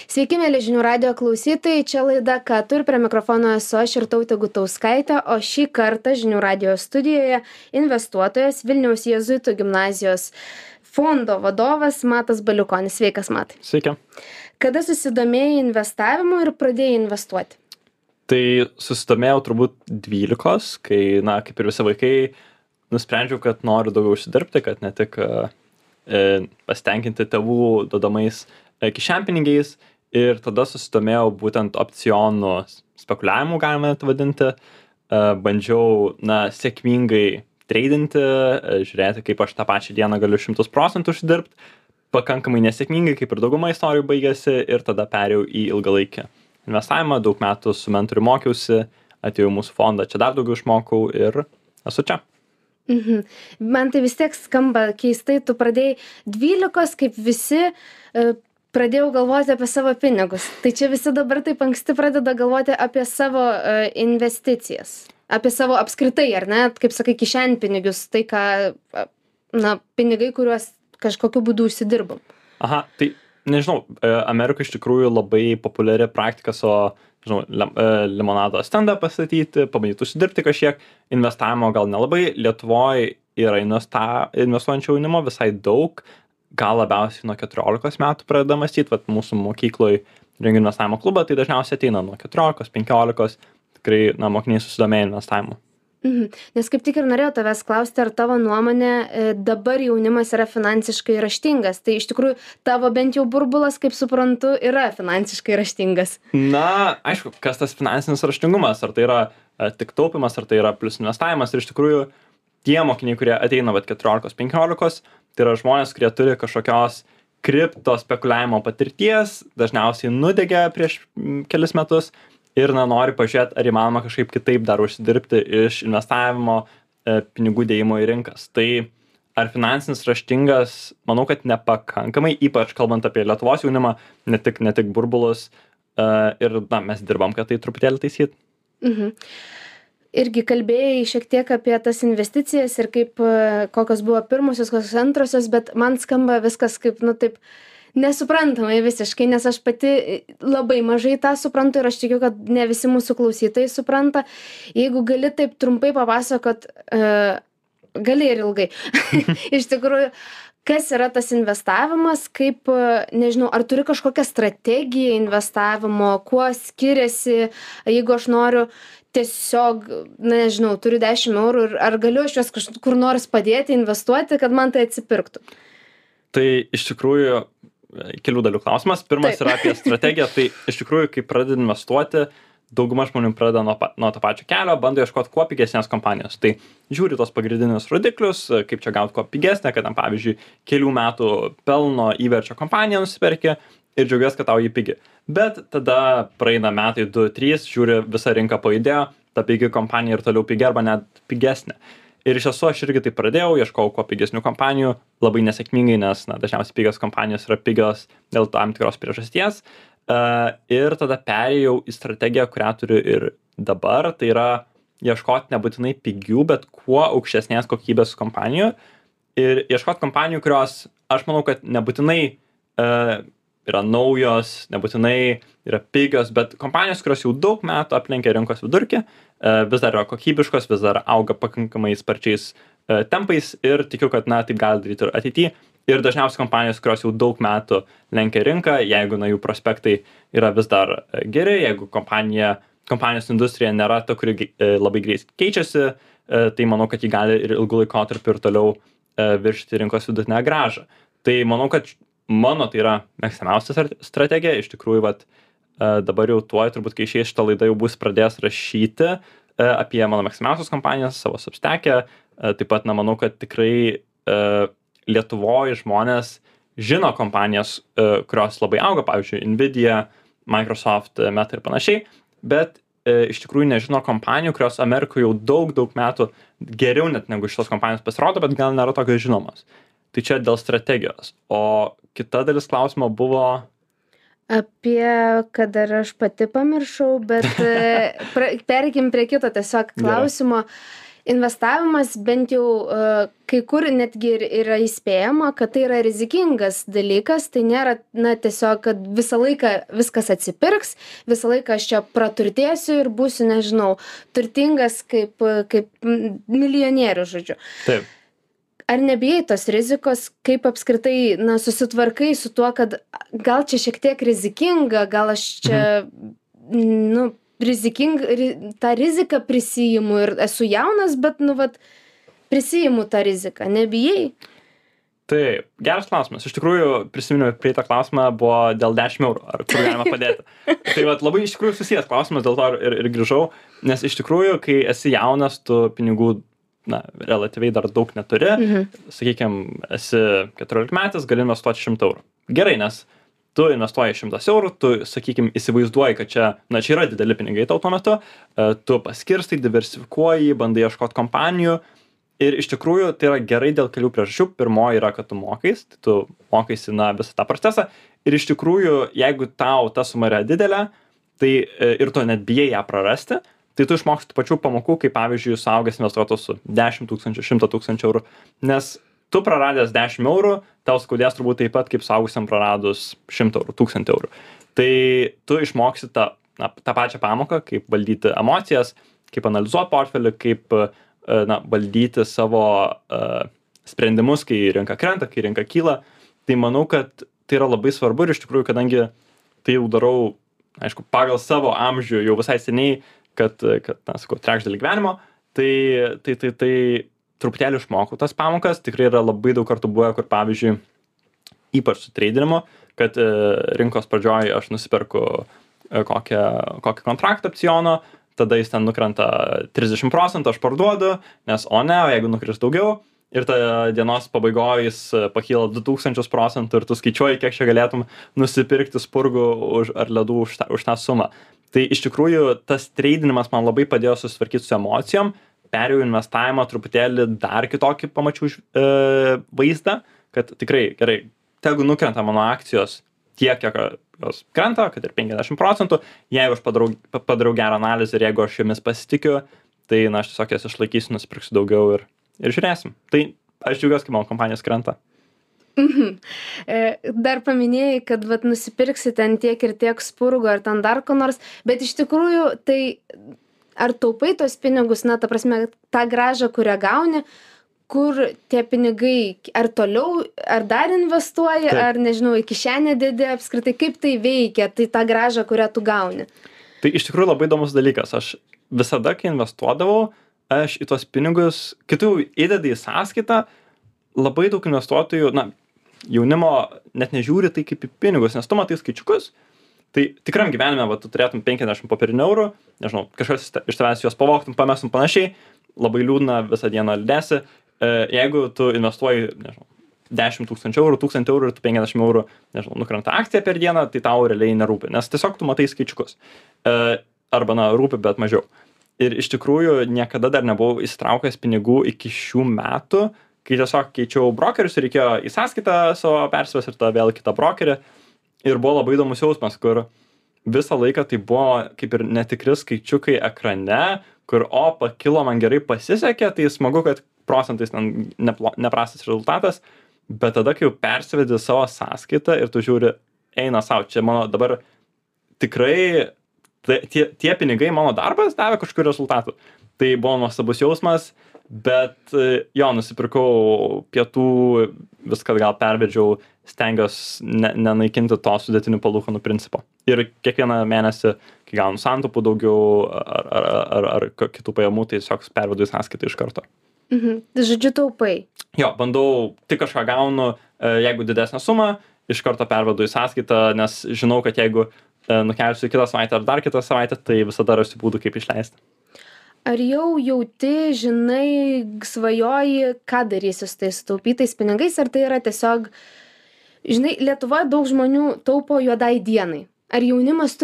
Sveiki, mėly žinių radio klausytojai, čia laida Ką tu ir prie mikrofono esu aš Irtautė Gutauskaitė, o šį kartą žinių radio studijoje investuotojas Vilniaus Jėzuitų gimnazijos fondo vadovas Matas Baliukonis. Sveikas, Matai. Sveiki. Kada susidomėjai investavimu ir pradėjai investuoti? Tai susidomėjau turbūt 12, kai, kaip ir visi vaikai, nusprendžiau, kad noriu daugiau užsidirbti, kad ne tik pasitenkinti tėvų duodamais kišenpinigiais, ir tada susidomėjau būtent opcionų spekuliavimu, galime net vadinti. Bandžiau sėkmingai treidinti, žiūrėti, kaip aš tą pačią dieną galiu 100% užsidirbti. Pakankamai nesėkmingai, kaip ir dauguma istorijų baigėsi, ir tada perėjau į ilgalaikį investavimą. Daug metų su mentoriu mokiausi, atėjau į mūsų fondą, čia dar daugiau išmokau ir esu čia. Man tai vis tiek skamba keistai, tu pradėjai 12, kaip visi pradėjau galvoti apie savo pinigus. Tai čia visi dabar taip anksti pradeda galvoti apie savo investicijas, apie savo apskritai, ar ne, kaip sakai, kišenpinigius, tai ką, pinigai, kuriuos kažkokiu būdu užsidirbam. Aha, tai nežinau, Amerikoje iš tikrųjų labai populiari praktika limonado stendą pastatyti, pabandyti užsidirbti kažkiek, investavimo gal nelabai. Lietuvoje yra investuojančio jaunimo visai daug, gal labiausiai nuo 14 metų pradeda mąstyti, vat mūsų mokykloje rengia investavimo klubą, tai dažniausiai ateina nuo 14, 15, tikrai mokiniai susidomėję investavimu. Nes kaip tik ir norėjau tavęs klausti, ar tavo nuomonė dabar jaunimas yra finansiškai raštingas. Tai iš tikrųjų tavo bent jau burbulas, kaip suprantu, yra finansiškai raštingas. Aišku, kas tas finansinis raštingumas, ar tai yra tik taupimas, ar tai yra plius investavimas. Ir iš tikrųjų tie mokiniai, kurie ateina 14-15, tai yra žmonės, kurie turi kažkokios kripto spekuliavimo patirties, dažniausiai nudegė prieš kelis metus. Ir nori pažiūrėti, ar įmanoma kažkaip kitaip dar užsidirbti iš investavimo, pinigų dėjimo į rinkas. Tai ar finansinis raštingas, manau, kad nepakankamai, ypač kalbant apie Lietuvos jaunimą, ne tik burbulus. Ir mes dirbam, kad tai truputėlį taisyt. Irgi kalbėjai šiek tiek apie tas investicijas ir kaip, kokios buvo pirmosios, kokios antrosios, bet man skamba viskas kaip, taip nesuprantamai visiškai, nes aš pati labai mažai tą suprantu ir aš tikiu, kad ne visi mūsų klausytojai supranta. Jeigu gali taip trumpai papasakot, gali ir ilgai. Iš tikrųjų, kas yra tas investavimas, kaip, nežinau, ar turi kažkokią strategiją investavimo, kuo skiriasi, jeigu aš noriu tiesiog, nežinau, turiu 10 eurų ir ar galiu aš juos kažkur nors padėti investuoti, kad man tai atsipirktų? Tai iš tikrųjų kelių dalių klausimas. Pirmas yra apie strategiją. Tai iš tikrųjų, kai pradedi investuoti, dauguma žmonių pradeda nuo to pačio kelio, bando ieškoti kuo pigesnės kompanijos. Tai žiūri tos pagrindinius rodiklius, kaip čia gauti kuo pigesnę, kad tam pavyzdžiui kelių metų pelno įverčio kompaniją nusipirki ir džiaugiasi, kad tau jį pigi. Bet tada praeina metai 2-3, žiūri, visa rinka pajudėjo, ta pigi kompanija ir toliau pigi arba net pigesnė. Ir iš tiesų aš irgi tai pradėjau, ieškojau kuo pigesnių kompanijų, labai nesėkmingai, nes dažniausiai pigios kompanijos yra pigios dėl tam tikros priežasties. Ir tada perėjau į strategiją, kurią turiu ir dabar, tai yra ieškoti nebūtinai pigių, bet kuo aukštesnės kokybės kompanijų. Ir ieškoti kompanijų, kurios, aš manau, kad nebūtinai yra naujos, nebūtinai yra pigios, bet kompanijos, kurios jau daug metų aplenkia rinkos vidurkį, vis dar yra kokybiškos, vis dar auga pakankamai sparčiais tempais ir tikiu, kad taip gali daryti ir ateityje. Ir dažniausiai kompanijos, kurios jau daug metų lenkia rinką, jeigu jų prospektai yra vis dar geri, jeigu kompanijos industrija nėra ta, kuri labai greit keičiasi, tai manau, kad ji gali ir ilgų laikotarpių ir toliau viršyti rinkos vidutinę grąžą. Tai manau, kad mano tai yra mėgstamiausia strategija. Iš tikrųjų, dabar jau tuoj, turbūt kai išeis šitą laidą, jau bus pradėjęs rašyti apie mano mėgstamiausias kompanijas savo Substack'e. Taip pat, manau, kad tikrai Lietuvoje žmonės žino kompanijas, kurios labai auga, pavyzdžiui, Nvidia, Microsoft, Meta ir panašiai, bet iš tikrųjų nežino kompanijų, kurios Amerikoje jau daug metų geriau net negu šitos kompanijos pasirodo, bet gal nėra tokios žinomos. Tai čia dėl strategijos. O kita dalis klausimo buvo apie, kad ar aš pati pamiršau, bet pereikim prie kito tiesiog klausimo. investavimas bent jau kai kur netgi ir yra įspėjama, kad tai yra rizikingas dalykas, tai nėra, tiesiog, kad visą laiką viskas atsipirks, visą laiką aš čia praturtėsiu ir būsiu, nežinau, turtingas kaip milijonierius, žodžiu. Taip. Ar nebijai tos rizikos, kaip apskritai, susitvarkai su tuo, kad gal čia šiek tiek rizikinga, gal aš čia, tą riziką prisiimu ir esu jaunas, bet, prisiimu tą riziką, nebijai? Taip, geras klausimas. Iš tikrųjų, prisiminiau, prieitą klausimą buvo dėl 10 eurų, ar kur galima padėti. Tai labai iš tikrųjų susijęs klausimas, dėl to ir grįžau, nes iš tikrųjų, kai esi jaunas, tu pinigų, relatyviai dar daug neturi, sakykime, esi 14 metais, gali investuoti 100 eurų. Gerai, nes tu investuoji 100 eurų, tu, sakykime, įsivaizduoji, kad čia yra dideli pinigai tau tuo metu, tu paskirstai, diversifikuoji, bandai ieškoti kompanijų ir iš tikrųjų tai yra gerai dėl kelių priežasčių. Pirmoji yra, kad tu mokais, tai tu mokaisi visą tą procesą ir iš tikrųjų, jeigu tau ta suma yra didelė, tai ir tu net bijai ją prarasti, tai tu išmoksti pačių pamokų, kaip pavyzdžiui, suaugęs investuotojas su 10 000, 100 000 eurų, nes tu praradęs 10 eurų, tau skaudės turbūt taip pat, kaip suaugusiam praradus 100 eurų, 1000 eurų. Tai tu išmoksi tą pačią pamoką, kaip valdyti emocijas, kaip analizuoti portfelį, kaip valdyti savo sprendimus, kai rinka krenta, kai rinka kyla. Tai manau, kad tai yra labai svarbu ir iš tikrųjų, kadangi tai jau darau, aišku, pagal savo amžių jau visai seniai, kad sakau, trečdalį gyvenimo, tai truputėlį išmokau tas pamokas. Tikrai yra labai daug kartų buvę, kur pavyzdžiui, ypač su treidinimu, kad rinkos pradžioj aš nusiperku kokį kontraktą opciono, tada jis ten nukrenta 30%, aš parduodu, nes o jeigu nukris daugiau, ir ta dienos pabaigoje jis pakyla 2000% ir tu skaičiuoji, kiek čia galėtum nusipirkti spurgų ar ledų už tą sumą. Tai iš tikrųjų tas treidinimas man labai padėjo susitvarkyti su emocijom, perėjau investavimą truputėlį dar kitokį pamačiau vaizdą, kad tikrai gerai, tegu nukrenta mano akcijos tiek, kiek jos krenta, kad ir 50%, jeigu aš padarau gerą analizę ir jeigu aš jomis pasitikiu, tai aš tiesiog jas išlaikysiu, nusipirksiu daugiau ir žiūrėsim. Tai aš džiaugiuosi, kai mano kompanijos krenta. Dar paminėjai, kad nusipirksi ten tiek ir tiek spurgo ar ten dar ko nors, bet iš tikrųjų tai ar taupai tos pinigus, ta prasme, tą grąžą, kurią gauni, kur tie pinigai, ar toliau, ar dar investuoji, Taip. ar nežinau, į kišenę dedi apskritai, kaip tai veikia, tai tą grąžą, kurią tu gauni? Tai iš tikrųjų labai įdomus dalykas. Aš visada, kai investuodavau, aš į tos pinigus, kitų įdedi į sąskaitą, labai daug investuotojų, jaunimo net nežiūri tai kaip į pinigus, nes tu matai skaičiukus, tai tikram gyvenime, tu turėtum 50 popierinių eurų, nežinau, kažkas iš tavęs juos pavogtum, pamestum panašiai, labai liūdna, visą dieną liūdėsi. Jeigu tu investuoji, nežinau, 10 000 eurų, 1000 eurų ir tu 50 eurų, nežinau, nukrenta akcija per dieną, tai tau realiai nerūpi, nes tiesiog tu matai skaičiukus. Arba, rūpi, bet mažiau. Ir iš tikrųjų niekada dar nebuvau įsitraukęs pinigų iki šių metų, kai tiesiog keičiau brokerius ir reikėjo į sąskaitą savo persivesti ir tada vėl kitą brokerį. Ir buvo labai įdomus jausmas, kur visą laiką tai buvo kaip ir netikri skaičiukai ekrane, kur pakilo, man gerai pasisekė, tai smagu, kad procentais ten neprastas rezultatas, bet tada, kai jau persivedi savo sąskaitą ir tu žiūri, eina savo, čia mano dabar tikrai tie pinigai, mano darbas davė kažkokių rezultatų. Tai buvo nuostabus jausmas, bet jo, nusipirkau pietų, viską gal pervedžiau, stengiuosi nenaikinti to sudėtinių palūkanų principo. Ir kiekvieną mėnesį, kai gaunu santaupų daugiau ar kitų pajamų, tai tiesiog pervedu į sąskaitą iš karto. Žodžiu, taupai. Jo, bandau, tik kažką gaunu, jeigu didesnę sumą, iš karto pervedu į sąskaitą, nes žinau, kad jeigu nukelsiu kitą savaitę ar dar kitą savaitę, tai visada rasiu būdų, kaip išleisti. Ar jau jauti, žinai, svajoji, ką darysi su tais sutaupytais pinigais, ar tai yra tiesiog, žinai, Lietuvoje daug žmonių taupo juodai dienai. Ar jaunimas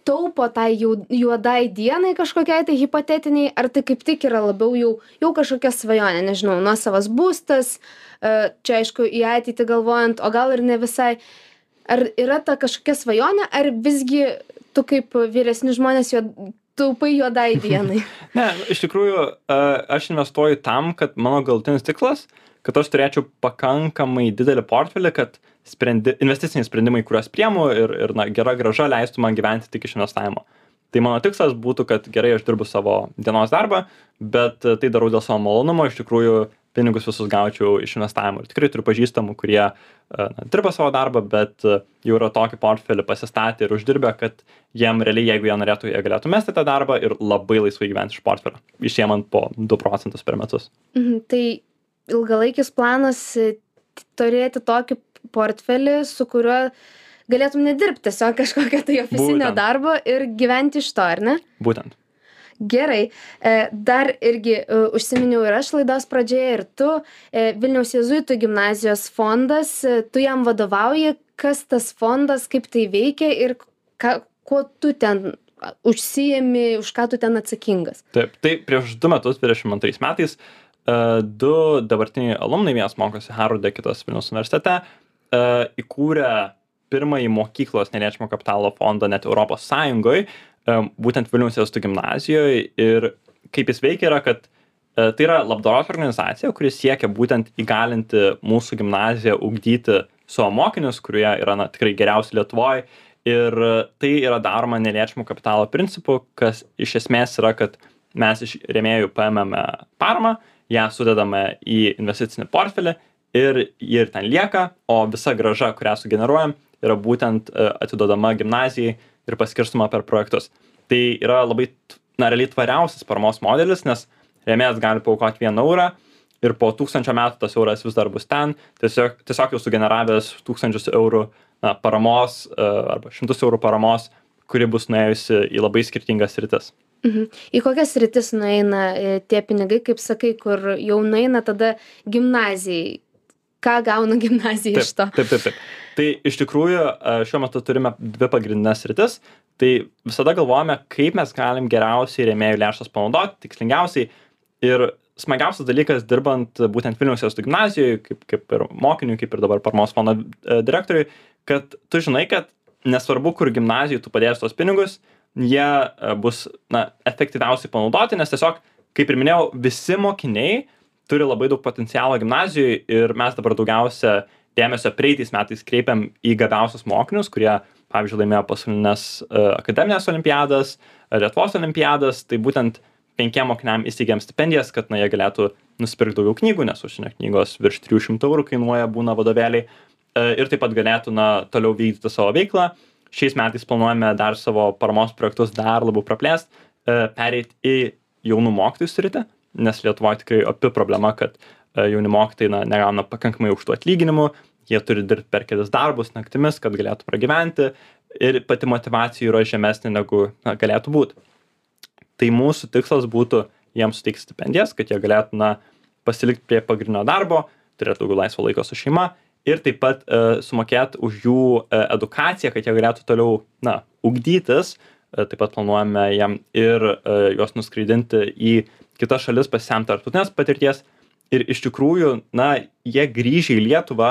taupo tai juodai dienai kažkokiai tai hipotetiniai, ar tai kaip tik yra labiau jau kažkokia svajonė, nežinau, nuosavas būstas, čia aišku į ateitį galvojant, o gal ir ne visai. Ar yra ta kažkokia svajonė, ar visgi tu kaip vyresni žmonės taupai juodai dienai. Ne, iš tikrųjų, aš investuoju tam, kad mano galutinis tikslas, kad aš turėčiau pakankamai didelį portfelį, kad investiciniai sprendimai, kuriuos priemu ir gera grąža leistų man gyventi tik iš investavimo. Tai mano tikslas būtų, kad gerai aš dirbu savo dienos darbą, bet tai darau dėl savo malonumo, iš tikrųjų pinigus visus gaučiau iš investavimo. Ir tikrai turiu pažįstamų, kurie dirba savo darbą, bet jau yra tokį portfelį pasistatę ir uždirbę, kad jiem realiai, jeigu jie norėtų, jie galėtų mesti tą darbą ir labai laisvai gyventi iš portfelio, išėmant po 2% per metus. Tai ilgalaikis planas turėti tokį portfelį, su kuriuo galėtum nedirbti tiesiog kažkokio tai ofisinio darbo ir gyventi iš to, ar ne? Būtent. Gerai. Dar irgi užsiminiau ir aš laidos pradžioje ir tu, Vilniaus jėzuitų gimnazijos fondas, tu jam vadovauji, kas tas fondas, kaip tai veikia ir kuo tu ten užsiimi, už ką tu ten atsakingas? Taip, tai prieš 2 metus, 22 metais, 2 dabartiniai alumnai, vienas mokosi Harvarde, kitas Vilniaus universitete, įkūrė pirmąjį mokyklos neliečiamo kapitalo fondą net Europos Sąjungoje, būtent Vilniaus jėzuitų gimnazijoje. Ir kaip jis veikia yra, kad tai yra labdaros organizacija, kuri siekia būtent įgalinti mūsų gimnaziją ugdyti savo mokinius, kurie yra tikrai geriausi Lietuvoje. Ir tai yra daroma neliečiamo kapitalo principu, kas iš esmės yra, kad mes iš rėmėjų paėmėme paramą, ją sudedame į investicinį portfelį ir ji ir ten lieka, o visa grąža, kurią sugeneruojam, yra būtent atiduodama gimnazijai ir paskirstoma per projektus. Tai yra labai, realiai tvariausias paramos modelis, nes rėmėjas gali paaukoti 1 eurą ir po 1000 metų tas euras vis dar bus ten, tiesiog jau sugeneravęs 1000 eurų paramos arba 100 eurų paramos, kuri bus nuėjusi į labai skirtingas sritis. Į kokias sritis nueina tie pinigai, kaip sakai, kur jau nueina tada gimnazijai? Ką gauna gimnazija iš to? Taip. Tai iš tikrųjų šiuo metu turime 2 pagrindinės sritis. Tai visada galvojame, kaip mes galim geriausiai rėmėjų lėšas panaudoti, tikslingiausiai. Ir smagiausias dalykas dirbant būtent Vilniaus jėzuitų gimnazijoje, kaip ir mokiniui, kaip ir dabar paramos fondo direktoriui, kad tu žinai, kad nesvarbu, kur gimnazijai tu padėsi tos pinigus, jie bus efektyviausiai panaudoti, nes tiesiog, kaip ir minėjau, visi mokiniai turi labai daug potencialo gimnazijoje ir mes dabar daugiausia dėmesio praeitais metais kreipiam į gabiausius mokinius, kurie, pavyzdžiui, laimėjo pasaulinės akademinės olimpiadas, Lietuvos olimpiadas, tai būtent 5 mokiniam įsteigėm stipendijas, kad jie galėtų nusipirkti daugiau knygų, nes užsienio knygos virš 300 eurų kainuoja, būna vadovėliai, ir taip pat galėtų toliau vykdyti savo veiklą. Šiais metais planuojame dar savo paramos projektus dar labiau praplėsti, pereiti į jaunų mokytojų sritį, nes Lietuvoje tikrai opi problema, kad jauni mokytojai negauna pakankamai aukštų atlyginimų, jie turi dirbti per kelis darbus naktimis, kad galėtų pragyventi ir pati motyvacija yra žemesnė negu galėtų būti. Tai mūsų tikslas būtų jiems suteikti stipendijas, kad jie galėtų pasilikti prie pagrindinio darbo, turėtų daugiau laisvo laiko su šeima ir taip pat sumokėti už jų edukaciją, kad jie galėtų toliau ugdytis. Taip pat planuojame jam ir juos nuskraidinti į kitas šalis, pasisemti tarptautinės patirties. Ir iš tikrųjų, jie grįžę į Lietuvą,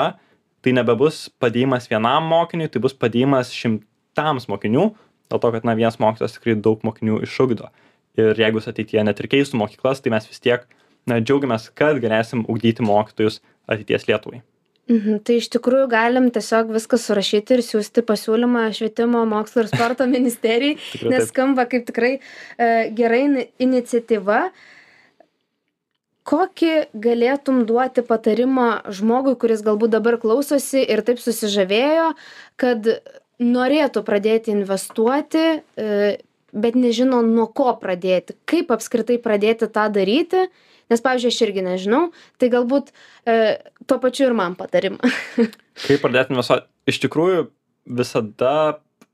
tai nebebus padėjimas vienam mokiniui, tai bus padėjimas 100 mokinių, dėl to, kad vienas mokytojas tikrai daug mokinių išugdo. Ir jeigu ateityje net ir keistų mokyklas, tai mes vis tiek džiaugiamės, kad galėsim ugdyti mokytojus ateities Lietuvai. Tai iš tikrųjų galim tiesiog viską surašyti ir siūsti pasiūlymą švietimo, mokslo ir sporto ministerijai, nes skamba kaip tikrai gerai iniciatyva. Kokį galėtum duoti patarimą žmogui, kuris galbūt dabar klausosi ir taip susižavėjo, kad norėtų pradėti investuoti, bet nežino nuo ko pradėti, kaip apskritai pradėti tą daryti? Nes, pavyzdžiui, aš irgi nežinau, tai galbūt tuo pačiu ir man patarimą. Kaip pradėti investuoti? Iš tikrųjų, visada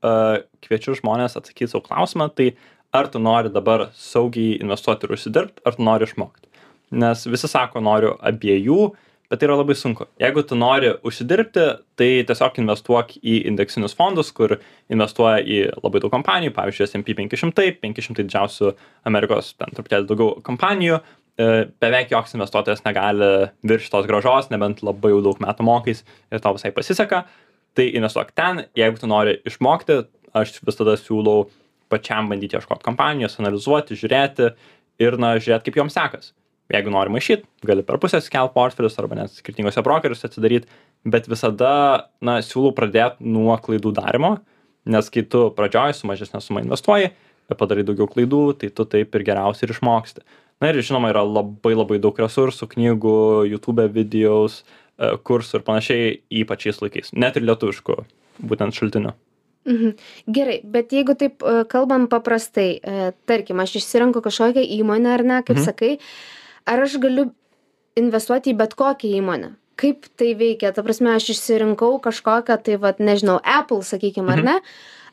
kviečiu žmonės atsakyti savo klausimą, tai ar tu nori dabar saugiai investuoti ir užsidirbti, ar tu nori išmokti. Nes visi sako, noriu abiejų, bet tai yra labai sunku. Jeigu tu nori užsidirbti, tai tiesiog investuok į indeksinius fondus, kur investuoja į labai daug kompanijų, pavyzdžiui, S&P 500, 500 didžiausių Amerikos, ten truputėlį daugiau kompanijų. Beveik joks investuotojas negali viršyti tos grąžos, nebent labai jau daug metų mokais ir tau visai pasiseka. Tai investuok ten, jeigu tu nori išmokti, aš visada siūlau pačiam bandyti ieškoti kompanijos, analizuoti, žiūrėti ir, žiūrėti, kaip joms sekas. Jeigu nori maišyt, gali per pusę skelt portfelius arba net skirtingose brokerius atsidaryti, bet visada, siūlau pradėti nuo klaidų darimo, nes kai tu pradžioj su mažesnė suma investuoji, padarai daugiau klaidų, tai tu taip ir geriausiai ir išmoksti. Na ir žinoma, yra labai labai daug resursų, knygų, YouTube videos, kursų ir panašiai, ypač šiais laikais, net ir lietuviškų būtent šaltinių. Gerai, bet jeigu taip kalbam paprastai, tarkim, aš išsirenku kažkokią įmonę ar ne, kaip sakai, ar aš galiu investuoti į bet kokią įmonę? Kaip tai veikia? Ta prasme, aš išsirinkau kažkokią, tai nežinau, Apple, sakykime, ar ne?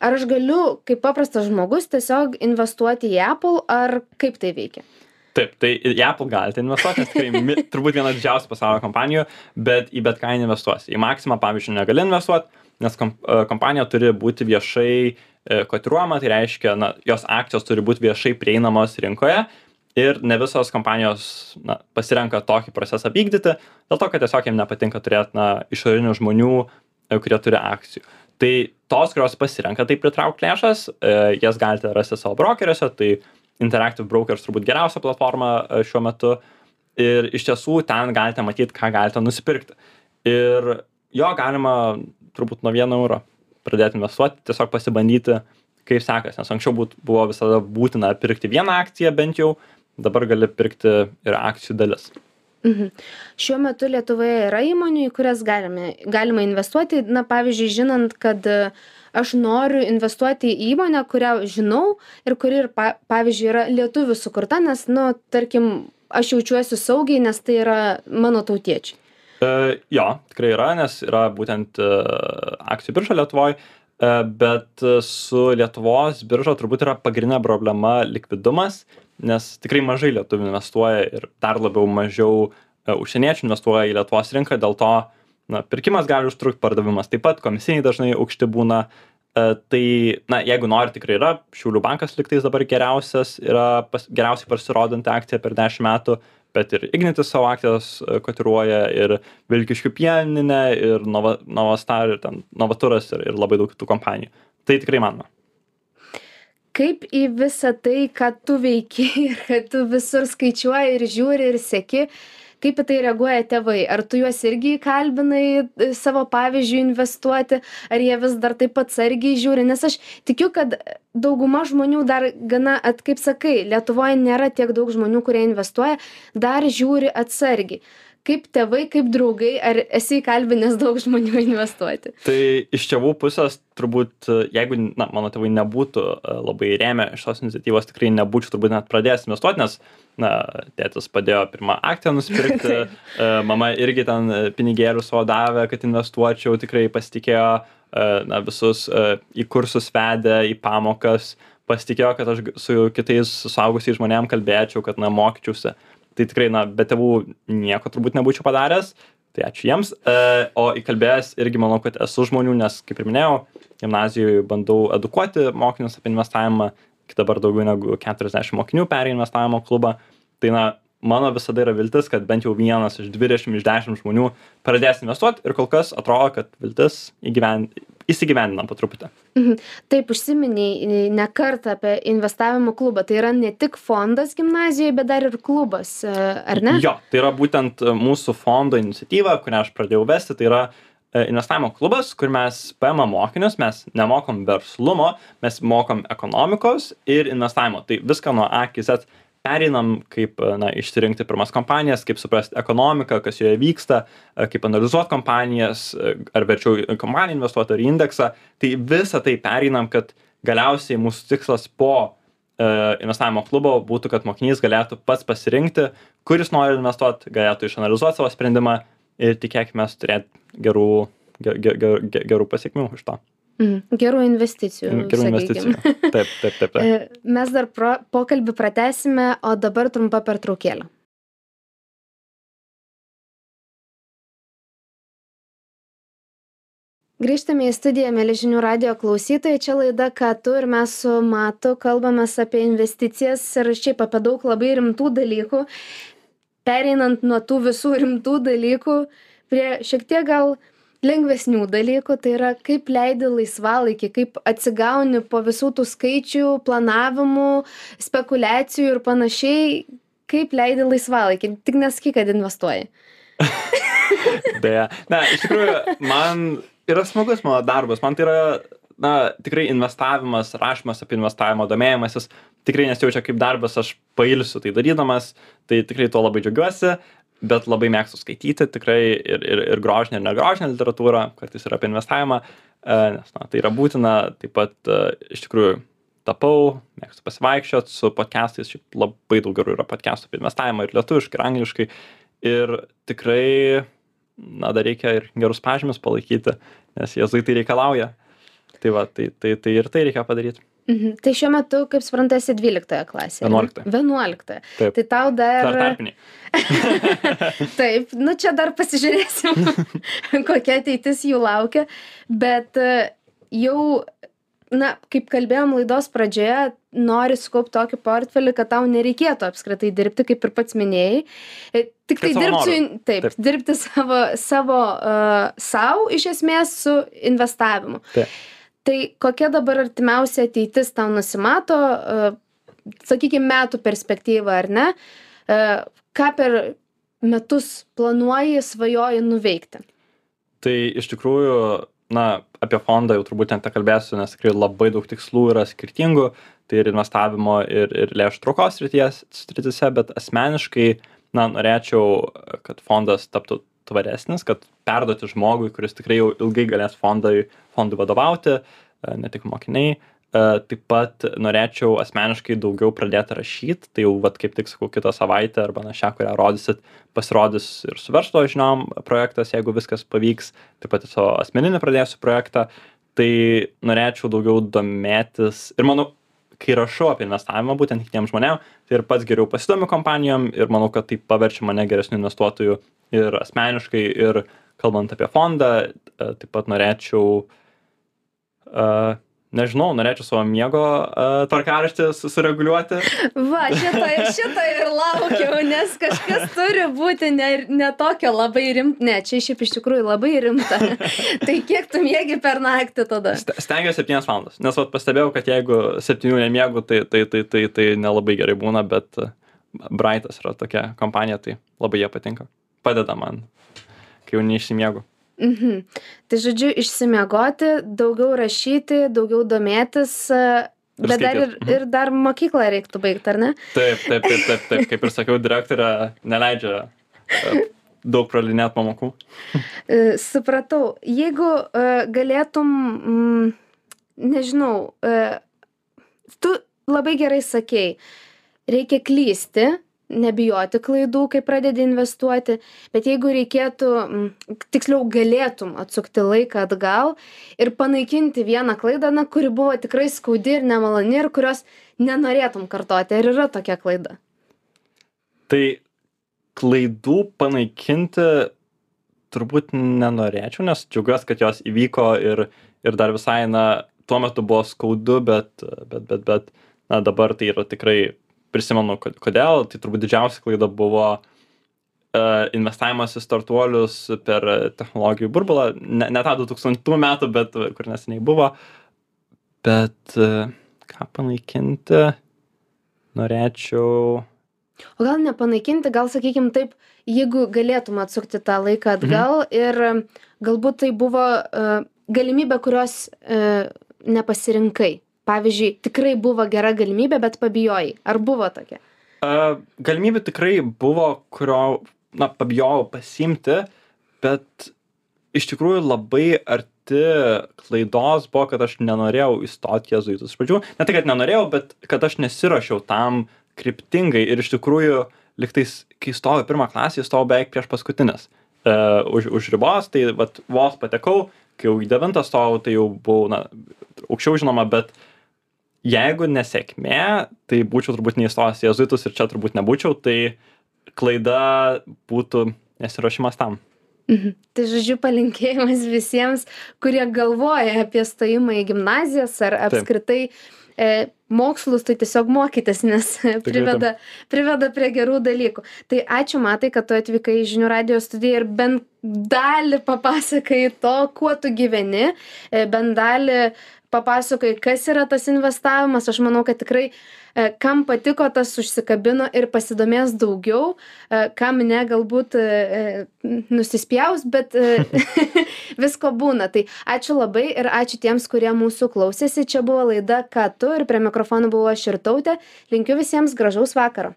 Ar aš galiu, kaip paprastas žmogus, tiesiog investuoti į Apple, ar kaip tai veikia? Taip, tai į Apple galite investuoti, nes tikrai turbūt viena didžiausių pasaulio kompanijų, bet į bet ką investuosi. Į Maximą, pavyzdžiui, negali investuoti, nes kompanija turi būti viešai kotiruojama, tai reiškia, jos akcijos turi būti viešai prieinamos rinkoje ir ne visos kompanijos pasirenka tokį procesą vykdyti, dėl to, kad tiesiog jiems nepatinka turėti išorinių žmonių, kurie turi akcijų. Tai tos, kurios pasirenka tai pritraukti lėšas, jas galite rasti savo brokeriuose, tai Interactive Brokers turbūt geriausia platforma šiuo metu ir iš tiesų ten galite matyti, ką galite nusipirkti. Ir jo galima turbūt nuo 1 euro pradėti investuoti, tiesiog pasibandyti, kaip sekas, nes anksčiau buvo visada būtina pirkti vieną akciją bent jau, dabar gali pirkti ir akcijų dalis. Šiuo metu Lietuvoje yra įmonių, į kurias galima investuoti, pavyzdžiui, žinant, kad aš noriu investuoti į įmonę, kurią žinau ir kuri, pavyzdžiui, yra lietuvių sukurta, nes, tarkim, aš jaučiuosi saugiai, nes tai yra mano tautiečiai. Jo, tikrai yra, nes yra būtent akcijų birža Lietuvoje, bet su Lietuvos birža turbūt yra pagrindinė problema likvidumas, nes tikrai mažai lietuvių investuoja ir dar labiau mažiau užsieniečių investuoja į Lietuvos rinką, dėl to pirkimas gali užtrukti, pardavimas taip pat, komisiniai dažnai aukšti būna. Tai, jeigu nori, tikrai yra, Šiaulių bankas lygtais dabar geriausiai pasirodanti akcija per 10 metų, bet ir Ignitis savo akcijas kotiruoja, ir Vilkiškių pieninė, ir Novastar, ir Novaturas, ir labai daug kitų kompanijų. Tai tikrai manoma. Kaip į visą tai, ką tu veiki ir kad tu visur skaičiuoji ir žiūri ir seki, kaip į tai reaguoja tėvai? Ar tu juos irgi įkalbinai savo pavyzdžių investuoti, ar jie vis dar taip atsargiai žiūri? Nes aš tikiu, kad dauguma žmonių dar gana, kaip sakai, Lietuvoje nėra tiek daug žmonių, kurie investuoja, dar žiūri atsargiai. Kaip tėvai, kaip draugai, ar esi įkalbinęs daug žmonių investuoti? Tai iš tėvų pusės turbūt, jeigu mano tėvai nebūtų labai rėmę šios iniciatyvos, tikrai nebūčiau turbūt net pradėjęs investuoti, nes tėtis padėjo pirmą akciją nusipirkti, mama irgi ten pinigėlių savo davė, kad investuočiau, tikrai pasitikėjo, visus į kursus vedė, į pamokas, pasitikėjo, kad aš su kitais suaugusiais žmonėm kalbėčiau, kad mokyčiausi. Tai tikrai, be tėvų nieko turbūt nebūčiau padaręs, tai ačiū jiems. O įkalbėjęs irgi manau, kad esu žmonių, nes, kaip ir minėjau, gimnazijoje bandau edukuoti mokinius apie investavimą, iki dabar daugiau negu 40 mokinių perėjo investavimo klubą. Tai, mano visada yra viltis, kad bent jau 1 iš 20 iš 10 žmonių pradės investuoti ir kol kas atrodo, kad viltis įsigyvendina po truputį. Taip, užsiminiai ne kartą apie investavimo klubą. Tai yra ne tik fondas gimnazijoje, bet dar ir klubas, ar ne? Jo, tai yra būtent mūsų fondo iniciatyva, kurią aš pradėjau vesti. Tai yra investavimo klubas, kur mes paimam mokinius, mes nemokom verslumo, mes mokom ekonomikos ir investavimo. Tai viską nuo A iki Z pereinam, kaip išsirinkti pirmas kompanijas, kaip suprasti ekonomiką, kas joje vyksta, kaip analizuoti kompanijas, ar verčiau kompaniją investuoti ar indeksą. Tai visą tai pereinam, kad galiausiai mūsų tikslas po investavimo klubo būtų, kad mokinys galėtų pats pasirinkti, kuris nori investuoti, galėtų išanalizuoti savo sprendimą ir tikėkime turėti gerų pasiekmių iš to. Gerų investicijų. Gerų investicijų. Taip. Mes dar pokalbį pratęsime, o dabar trumpa pertraukėlė. Grįžtame į studiją, mieli žinių radijo klausytojai. Čia laida Ką tu ir mes su Matu kalbamės apie investicijas ir šiaip apie daug labai rimtų dalykų. Pereinant nuo tų visų rimtų dalykų prie šiek tiek gal lengvesnių dalykų, tai yra kaip leidi laisvalaikį, kaip atsigauni po visų tų skaičių, planavimų, spekulacijų ir panašiai, kaip leidi laisvalaikį. Tik nesakyk, kad investuoji. Deja. Na, iš tikrųjų, man yra smagus mano darbas. Man tai yra, na, tikrai investavimas, rašymas apie investavimo, domėjimasis. Tikrai nesijaučia kaip darbas, aš pailsiu tai darydamas. Tai tikrai tuo labai džiaugiuosi, bet labai mėgstu skaityti tikrai ir grožinę, ir negrožinę literatūrą, kartais ir apie investavimą, nes, na, tai yra būtina. Taip pat, iš tikrųjų, tapau, mėgstu pasivaikščiot su podcastais, šiaip labai daug gerų yra podcastų apie investavimą ir lietuviškai, ir angliškai. Ir tikrai, na, dar reikia ir gerus pažymius palaikyti, nes jėzuitai reikalauja. Tai va, tai ir tai reikia padaryti. Tai šiuo metu, kaip suprantu, esi 12 klasėje. 11. 11. Taip. Tai tau dar tarpiniai. Taip, nu čia dar pasižiūrėsim, kokia ateitis jų laukia, bet jau, na, kaip kalbėjom laidos pradžioje, nori sukaupti tokį portfelį, kad tau nereikėtų apskritai dirbti, kaip ir pats minėjai. Tik tai dirbti savo iš esmės su investavimu. Taip. Tai kokia dabar artimiausia ateitis tau nusimato, sakykime, metų perspektyva, ar ne? Ką per metus planuoji, svajoji nuveikti? Tai iš tikrųjų, na, apie fondą jau turbūt net kalbėsiu, nes tikrai labai daug tikslų yra skirtingų, tai ir investavimo, ir lėšų traukos srityse, bet asmeniškai, na, norėčiau, kad fondas taptų tvaresnis, kad perduoti žmogui, kuris tikrai jau ilgai galės fondui vadovauti, ne tik mokiniai. Taip pat norėčiau asmeniškai daugiau pradėti rašyti, tai jau, vat, kaip tik sakau, kitą savaitę arba šią, kurią rodysit, pasirodys ir su verslo žiniom projektas, jeigu viskas pavyks, taip pat savo asmeninį pradėsiu projektą, tai norėčiau daugiau domėtis ir manau, kai rašau apie investavimą būtent kitiems žmonėm, tai ir pats geriau pasidomiu kompanijom ir manau, kad tai paverčia mane geresniu investuotoju ir asmeniškai, ir kalbant apie fondą, taip pat norėčiau, norėčiau savo miego tvarkaraštį sureguliuoti. Va, šito ir laukiau, nes kažkas turi būti ne tokio labai rimta, ne, čia šiaip iš tikrųjų labai rimta. Tai kiek tu miegi per naktį tada? Stengiuosi 7 valandas, nes pastebėjau, kad jeigu 7 nemiegu, tai nelabai gerai būna, bet Brightas yra tokia kompanija, tai labai jie patinka. Padeda man, kai jau neišsimiegu. Tai žodžiu, išsimiegoti, daugiau rašyti, daugiau domėtis, bet ir dar mokyklą reiktų baigti, ar ne? Taip, kaip ir sakiau, direktorė neleidžia daug pralinėti pamokų. Supratau, jeigu galėtum, nežinau, tu labai gerai sakei, reikia klysti, nebijoti klaidų, kai pradedi investuoti, bet jeigu reikėtų, tiksliau galėtum atsukti laiką atgal ir panaikinti vieną klaidą, kuri buvo tikrai skaudi ir nemaloni ir kurios nenorėtum kartoti, ar yra tokia klaida? Tai klaidų panaikinti turbūt nenorėčiau, nes džiaugiuosi, kad jos įvyko ir dar visai, tuo metu buvo skaudu, bet dabar tai yra tikrai prisimenu, kodėl. Tai turbūt didžiausia klaida buvo investavimas į startuolius per technologijų burbulą. Ne tą 2000 metų, bet kur neseniai buvo. Bet ką panaikinti norėčiau... O gal nepanaikinti, gal sakykim taip, jeigu galėtum atsukti tą laiką atgal ir galbūt tai buvo galimybė, kurios nepasirinkai. Pavyzdžiui, tikrai buvo gera galimybė, bet pabijojai. Ar buvo tokia? Galimybė tikrai buvo, kurio, pabijojau pasiimti, bet iš tikrųjų labai arti klaidos buvo, kad aš nenorėjau įstoti jėzuitus. Iš pradžių, ne tai, kad nenorėjau, bet kad aš nesirašiau tam kryptingai ir iš tikrųjų, liktais, kai stojau 1 klasę, stojau beveik prieš paskutinis už ribos, tai vos patekau, kai jau į 9 stojau, tai jau buvau, aukščiau žinoma, bet jeigu nesėkmė, tai būčiau turbūt neįstojęs į jėzuitus ir čia turbūt nebūčiau, tai klaida būtų nesiruošimas tam. Tai žodžiu palinkėjimas visiems, kurie galvoja apie stojimą į gimnazijas ar apskritai mokslus, tai tiesiog mokytis, nes priveda prie gerų dalykų. Tai ačiū, Matai, kad tu atvykai į Žinių radijo studiją ir bent dalį papasakai to, kuo tu gyveni, bent dalį papasakai, kas yra tas investavimas. Aš manau, kad tikrai kam patiko, tas užsikabino ir pasidomės daugiau, kam ne, galbūt nusispjaus, bet visko būna. Tai ačiū labai ir ačiū tiems, kurie mūsų klausėsi. Čia buvo laida Ką tu, ir prie mikrofono buvau aš Irtautė. Linkiu visiems gražaus vakaro.